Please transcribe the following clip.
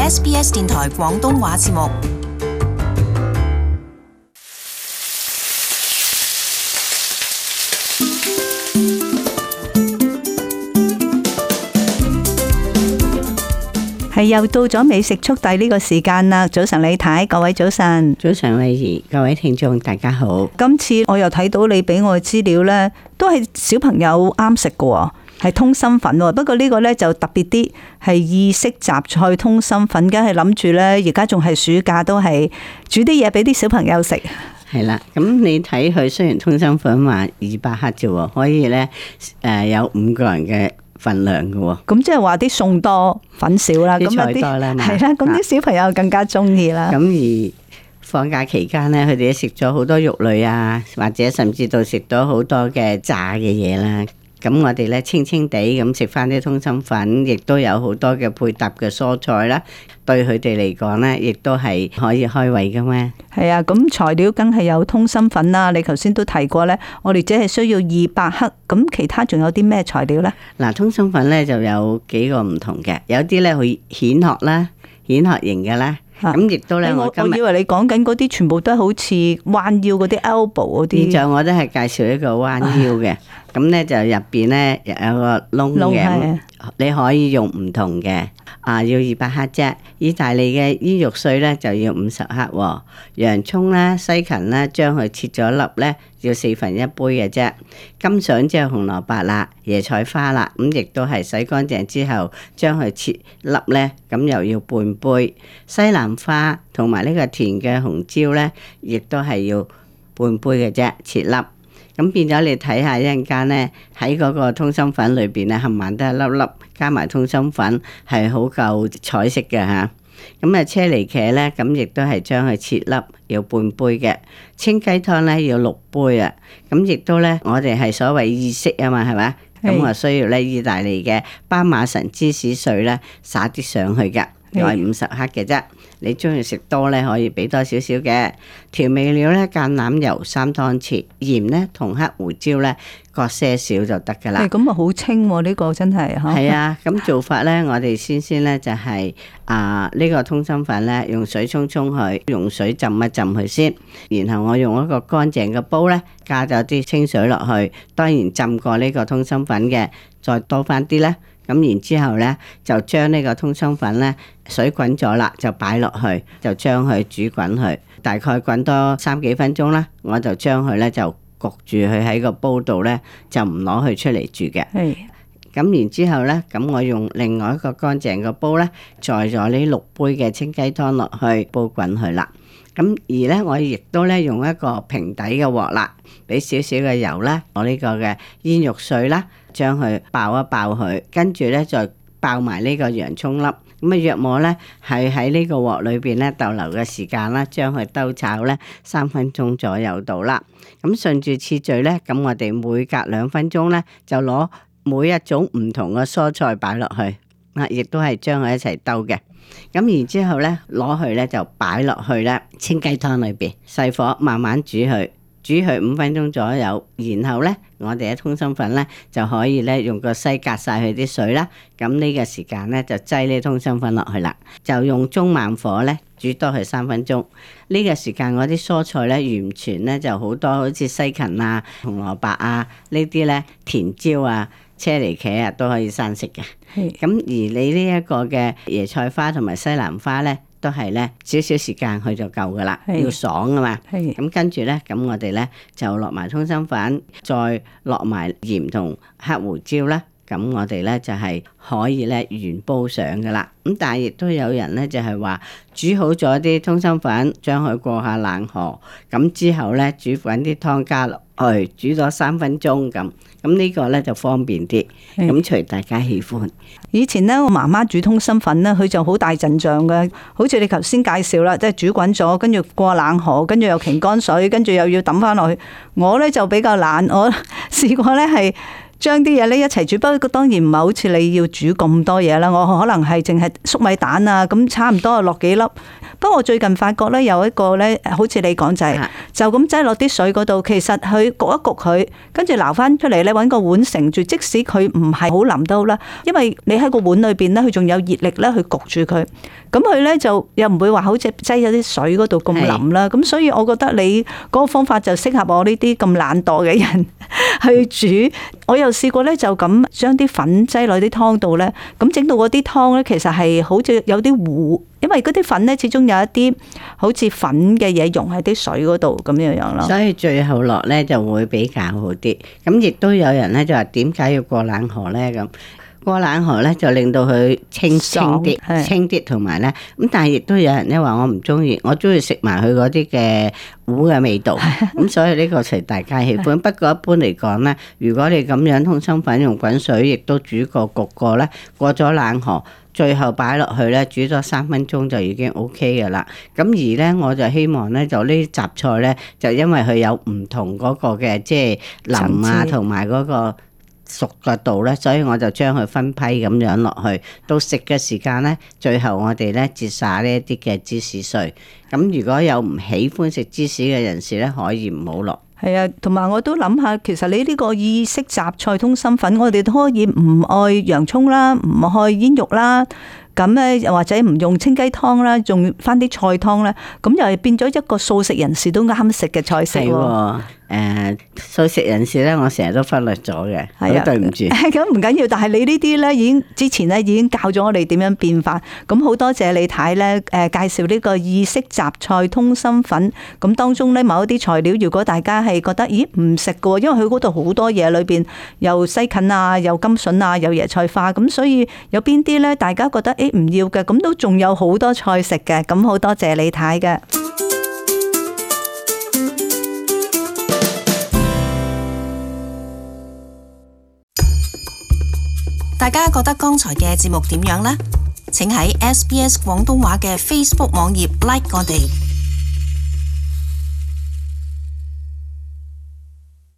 SBS 電台廣東話節目。係又到咗美食速遞呢個時間啦！早晨李太，各位早晨。早晨慧怡，各位聽眾大家好。今次我又睇到你俾我嘅資料呢，都係小朋友啱食嘅，係通心粉。不過呢個呢就特別啲，係意式雜菜通心粉。梗係諗住呢，而家仲係暑假，都係煮啲嘢俾啲小朋友食。係啦，咁你睇佢雖然通心粉話200克啫，可以呢有5個人嘅份量嘅喎。咁即係話啲餸多粉少啦，啲菜多啦，係啦，咁啲小朋友更加中意啦。咁而放假期間呢，佢哋都食咗好多肉類啊，或者甚至到食咗好多嘅炸嘅嘢啦。咁我哋咧清清地咁食翻啲通心粉，亦都有好多嘅配搭嘅蔬菜啦，對佢哋嚟講咧，亦都係可以開胃噶嘛。係啊，咁材料梗係有通心粉啦。你頭先都提過咧，我哋只係需要200克。咁其他仲有啲咩材料咧？嗱，通心粉咧就有幾個唔同嘅，有啲咧佢蜆殼啦，蜆殼型嘅啦。咁亦都咧，我以為你講緊嗰啲全部都好似彎腰嗰啲 elbow 嗰啲。現在我都係介紹一個彎腰嘅，咁咧就入邊咧有個窿嘅，你可以用唔同嘅。要200克啫。意大利嘅煙肉碎咧就要50克，洋蔥啦、西芹啦，將佢切咗粒咧，要1/4杯嘅啫。金筍即係紅蘿蔔啦、椰菜花啦，咁亦都係洗乾淨之後，將佢切粒咧，咁又要半杯。西蘭花同埋呢個甜嘅紅椒咧，亦都係要半杯嘅啫，切粒。咁變咗你睇下一陣間咧，喺嗰個通心粉裏邊咧，冚唪唥都係粒粒，加埋通心粉係好夠彩色嘅嚇。咁啊，車厘茄咧，咁亦都係將佢切粒，要半杯嘅。清雞湯咧要6杯啊。咁亦都咧，我哋係所謂意式啊嘛，係咪？咁我需要咧意大利嘅巴馬臣芝士碎咧，撒啲上去嘅，又係50克嘅啫。你中意食多咧，可以俾多少少嘅調味料咧，橄欖油3湯匙，鹽咧同黑胡椒咧各些少就得噶啦。咁啊好清喎，呢個真係嚇。係啊，咁做法咧，我哋先咧就係呢個通心粉咧，用水沖佢，用水浸一浸佢先，然後我用一個乾淨嘅煲咧，加咗啲清水落去，當然浸過呢個通心粉嘅，再多翻啲咧。咁然之後咧，就將呢個通心粉咧水滾咗啦，就擺落去，就將佢煮滾佢，大概滾多3幾分鐘啦。我就將佢咧就焗住佢喺個煲度咧，就唔攞佢出嚟煮嘅。係。咁然之後咧，咁我用另外一個乾淨嘅煲咧，載咗呢6杯嘅清雞湯落去煲滾佢啦。咁而咧，我亦都咧用一個平底嘅鑊啦，俾少少嘅油啦，我呢個嘅煙肉碎啦，將佢爆一爆佢，跟住咧再爆埋呢個洋葱粒。咁啊，約莫咧係喺呢個鑊裏邊咧逗留嘅時間啦，將佢兜炒咧3分鐘左右到啦。咁順住次序咧，咁我哋每隔2分鐘咧就攞每一種唔同嘅蔬菜擺落去，亦都係將佢一齊兜嘅。咁然之後咧，攞去咧就擺落去咧清雞湯裏邊，細火慢慢煮佢5分鐘左右。然後咧，我哋嘅通心粉咧就可以咧用個篩隔晒佢啲水啦。咁呢個時間咧就擠呢通心粉落去啦，就用中慢火咧煮多佢3分鐘。呢個時間我啲蔬菜咧完全咧就好多，好似西芹啊、紅蘿蔔啊呢啲咧，甜椒啊、車厘茄啊都可以生食嘅。咁而你呢一個嘅椰菜花同埋西蘭花咧，都係咧少少時間佢就夠噶啦，要爽啊嘛。咁跟住咧，咁我哋咧就落埋通心粉，再落埋鹽同黑胡椒啦。咁我哋咧就係可以咧原煲上噶啦。咁但係亦都有人咧就係話煮好咗啲通心粉，將佢過下冷河，咁之後咧煮滾啲湯加落去，煮咗3分鐘咁。咁呢個咧就方便啲，咁隨大家喜歡。以前咧我媽媽煮通心粉咧，佢就好大陣仗嘅，好似你頭先介紹啦，即係煮滾咗，跟住過冷河，跟住又擎乾水，跟住又要抌翻落去。我咧就比較懶，我試過咧係將啲嘢咧一齊煮，不過當然唔係好似你要煮咁多嘢啦。我可能係淨係粟米蛋啊，咁差唔多落幾粒。不過我最近發覺咧有一個咧，好似你講就咁擠落啲水嗰度，其實佢焗一焗佢，跟住撈翻出嚟咧，揾個碗盛住，即使佢唔係好腍都好啦，因為你喺個碗裏邊咧，佢仲有熱力咧去焗住佢，咁佢咧就又唔會話好似擠咗啲水嗰度咁腍啦。咁所以我覺得你嗰個方法就適合我呢啲咁懶惰嘅人去煮。我又試過咧就咁將啲粉擠落啲湯度咧，咁整到嗰啲湯咧其實係好似有啲糊。因為嗰啲粉咧，始終有一啲好似粉嘅嘢溶喺啲水嗰度咁樣樣咯。所以最後落咧就會比較好啲。咁亦都有人咧就話點解要過冷河咧？咁過冷河咧就令到佢清啲，同埋咧咁。但係亦都有人咧話我唔中意，我中意食埋佢嗰啲嘅糊嘅味道。咁所以呢個係大家喜歡。不過一般嚟講咧，如果你咁樣通心粉用滾水，亦都煮過焗過咧，過咗冷河。最後擺落去咧，煮咗3分鐘就已經 OK 嘅啦。咁而咧，我就希望咧，就呢啲雜菜咧，就因為佢有唔同嗰個嘅即係腍啊，同埋嗰個熟嘅度咧，所以我就將佢分批咁樣落去。到食嘅時間咧，最後我哋咧截撒呢一啲嘅芝士碎。咁如果有唔喜歡食芝士嘅人士咧，可以唔好落。係啊，同埋我都諗下，其實你呢個意式雜菜通心粉，我哋都可以唔愛洋蔥啦，唔愛煙肉啦，咁咧又或者唔用清雞湯啦，用翻啲菜湯啦，咁又係變咗一個素食人士都啱食嘅菜式喎。素食人士咧，我成日都忽略咗嘅，好對唔住。咁唔緊要，但係你呢啲咧已經之前咧已經教咗我哋點樣變化。咁好多謝李太咧介紹呢個意式雜菜通心粉。咁當中咧某一啲材料，如果大家係覺得咦唔食嘅，因為佢嗰度好多嘢裏邊有西芹啊，有甘筍啊，有椰菜花，咁所以有邊啲咧大家覺得誒唔要嘅，咁都仲有好多菜食嘅。咁好多謝李太嘅。大家覺得剛才嘅節目點樣呢？請喺SBS 廣東話嘅 Facebook 網頁 like 我哋。